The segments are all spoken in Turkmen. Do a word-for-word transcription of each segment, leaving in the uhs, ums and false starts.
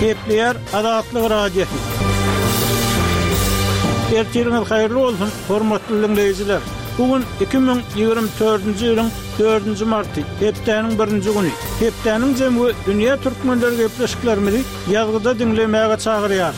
Gepleýär Azatlyk Radiosy. Ertiriňiz haýyrly bolsun, hormatly diňleýjiler! Bu gün iki müň ýigrimi dördünji ýylyň dördünji marty, hepdäniň birinji güni. Hepdäniň jemi we dünýä türkmenleri gepleşiklerimizi ýazgyda diňlemäge çagyrýar.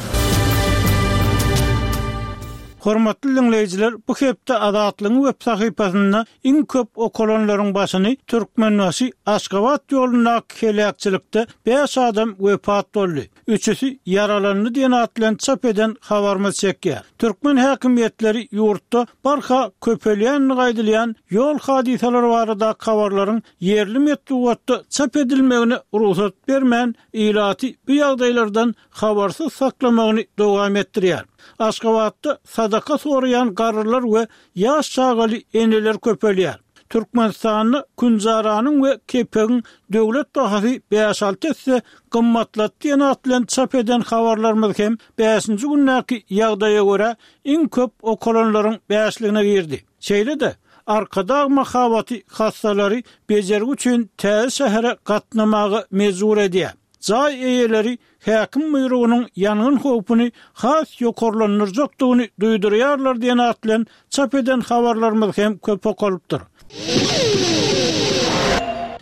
Hormatly diňleýjiler, bu hepde Azatlygyň web sahypasynda iň köp okalanlaryň başyny Türkmenbaşy, Aşgabat ýolundaky heläkçilikde bäş adam wepat boldy, üçüsi ýaralandy diýen at bilen çap eden habarymyz çekýär. Türkmen häkimiýetleri ýurtda barha köpelýändigi aýdylýan ýol hadysalary baradaky habarlaryň ýerli metbugatda çap edilmegine rugsat bermän, ilaty bu ýagdaýlardan habarsyz saklamagyny dowam etdirýär. Aşgabatda sadaka soraýan garrylar we ýaş çagaly eneler köpelýär. Türkmenistanda künjaranyň we kepegiň döwlet bahasy bäş-alty esse gymmatlady diýen at bilen çap eden habarlarymyz hem bäşinji gündäki ýagdaýa görä iň köp okalanlaryň bäşligine girdi. Şeýle-de, Arkadag mahabaty hassalary bejergi üçin täze şähere gatnamaga mejbur edýär. Jaý eýeleri häkim buýrugynyň ýangyn howpuny has ýokarlandyrjakdygyny duýdurýarlar diýen at bilen çap eden habarlarymyz hem köp okalypdyr.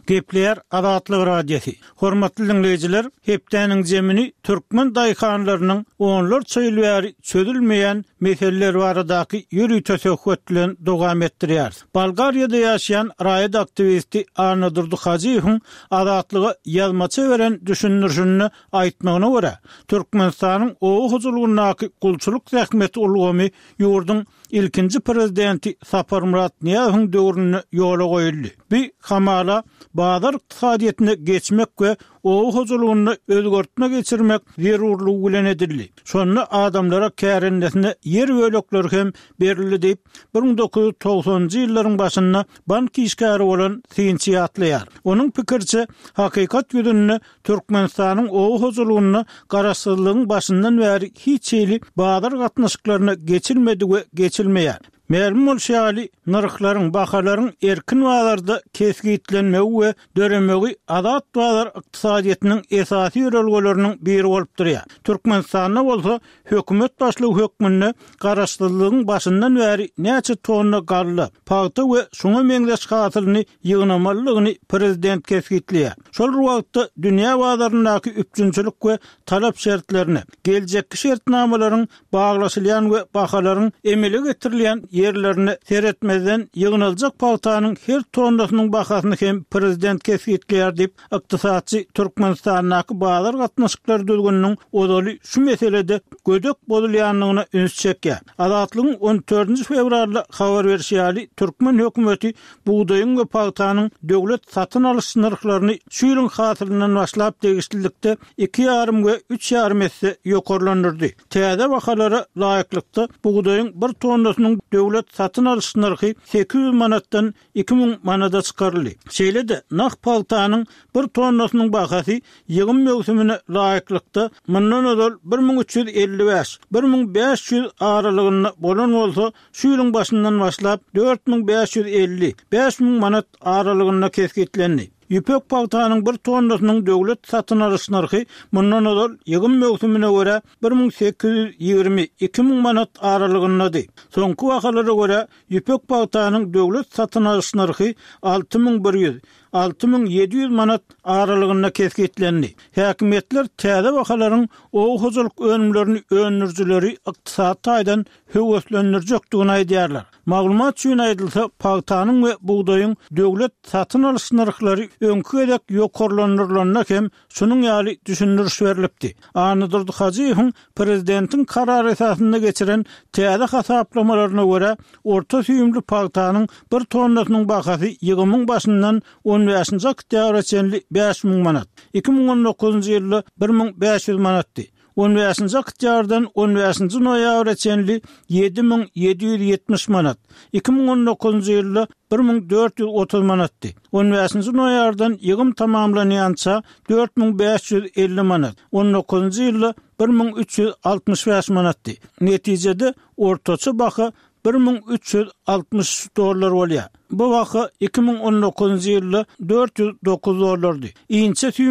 Gepleýär Azatlyk Radiosy. Hormatly diňleýjiler, hepdäniň jemini türkmen daýhanlarynyň onlarça ýyl bäri çözülmeýän meseleleri baradaky ýörite söhbet bilen dowam etdirýäris. Bolgariýada ýaşaýan raýat aktiwisti Annadurdy Hajyýewiň Azatlyga ýazmaça beren düşündirişinde aýtmagyna görä, Türkmenistanyň oba hojalygyndaky gulçulyk zähmeti ulgamy ýurduň ilkinji prezidenti Saparmyrat Nyýazowyň döwründe ýola goýuldy. Bu hamala bazar ykdysadyýetine geçmek we oba hojalygynda özgertme geçirmek zerurlygy bilen edildi. Şonda adamlara kärendesine ýer bölekleri hem berildi diýip, bir müň dokuz ýüz togsanynjy ýyllaryň başynda bank işgäri bolan synçy ýatlaýar. Onuň pikiriçe, hakykat ýüzünde Türkmenistanyň oba hojalygynda garaşsyzlygyň başyndan bäri hiç hili bazar gatnaşyklaryna geçilmedi we geçilmeýär. Mälim bolşy ýaly, nyrhlaryň, bahalaryň erkin bazarda kesgitlenmegi we döremegi azat bazar ykdysadyýetiniň esasy ýörelgeleriniň biri bolup durýar. Türkmenistanda bolsa hökümet başlygy hökmünde garaşsyzlygyň başyndan bäri näçe tonna galla, pagta we şuňa meňzeş hasylyny ýygnamalydygyny prezident kesgitleýär. Şol bir wagtda dünýä bazaryndaky üpjünçilik we talap şertlerine, geljekki şertnamalaryň baglaşylýan we bahalaryň emele getirilýän ýerlerine seretmezden ýygnaljak pagtanyň her tonnasynyň bahasyny hem prezident kesgitleýär diýip, ykdysatçy Türkmenistandaky bazar gatnaşyklary düzgüniniň ozaly şu meselede gödek bozulýandygyna üns çekýär. Azatlygyň on dördünji fewralda habar berşi ýaly, türkmen hökümeti bugdaýyň we pagtanyň döwlet satyn alyş nyrhlaryny şu ýylyň hasylyndan başlap degişlilikde iki ýarym we üç ýarym esse ýokarlandyrdy. Täze bahalara laýyklykda, bugdaýyň bir tonnasynyň döwlet satyn alyş nyrhy sekiz ýüz manatdan iki müň manada çykaryldy. Şeýle-de, nah pagtanyň bir tonnasynyň bahasy ýygym möwsümine laýyklykda, mundan ozal bir müň üç ýüz elli bäş, bir müň bäş ýüz aralygynda bolan bolsa, şu ýylyň başyndan başlap dört müň bäş ýüz elli, bäş müň manat aralygynda kesgitlendi. Ýüpek pagtanyň bir tonnasynyň döwlet satyn alyş nyrhy mundan ozal ýygym möwsümine görä bir müň sekiz ýüz ýigrimi, iki müň manat aralygyndady. Soňky bahalara görä, ýüpek pagtanyň döwlet satyn alyş nyrhy alty müň bir ýüz, alty müň ýedi ýüz manat aralygynda kesgitlendi. Häkimiýetler täze bahalaryň oba hojalyk önümlerini öndürijileri ykdysady taýdan höweslendirjekdigini aýdýarlar. Maglumat üçin aýdylsa, pagtanyň we bugdaýyň döwlet satyn alyş nyrhlary öňki gezek ýokarlandyrylanda hem şunuň ýaly düşündiriş berlipdi. Annadurdy Hajyýewiň prezidentiň karary esasynda geçiren täze hasaplamalaryna görä, orta süýümli pagtanyň bir tonnasynyň bahasy ýygymyň başyndan on bäşinji oktýabra çenli bäş müň manat, iki müň on dokuzynjy ýylda bir müň bäş ýüz manatdy. On bäşinji oktýabrdan on bäşinji noýabra çenli ýedi müň ýedi ýüz ýetmiş manat, iki müň on dokuzynjy ýylda bir müň dört ýüz otuz manatdy. On bäşinji noýabrdan ýygym tamamlanýança dört müň bäş ýüz elli manat, on dokuzynjy ýylda bir müň üç ýüz altmyş bäş manatdy. Netijede, ortaça baha bir müň üç ýüz altmyş üç dollar bolýar. Bu baha iki müň on dokuzynjy ýylda dört ýüz dokuz dollardy. Inçe süýüm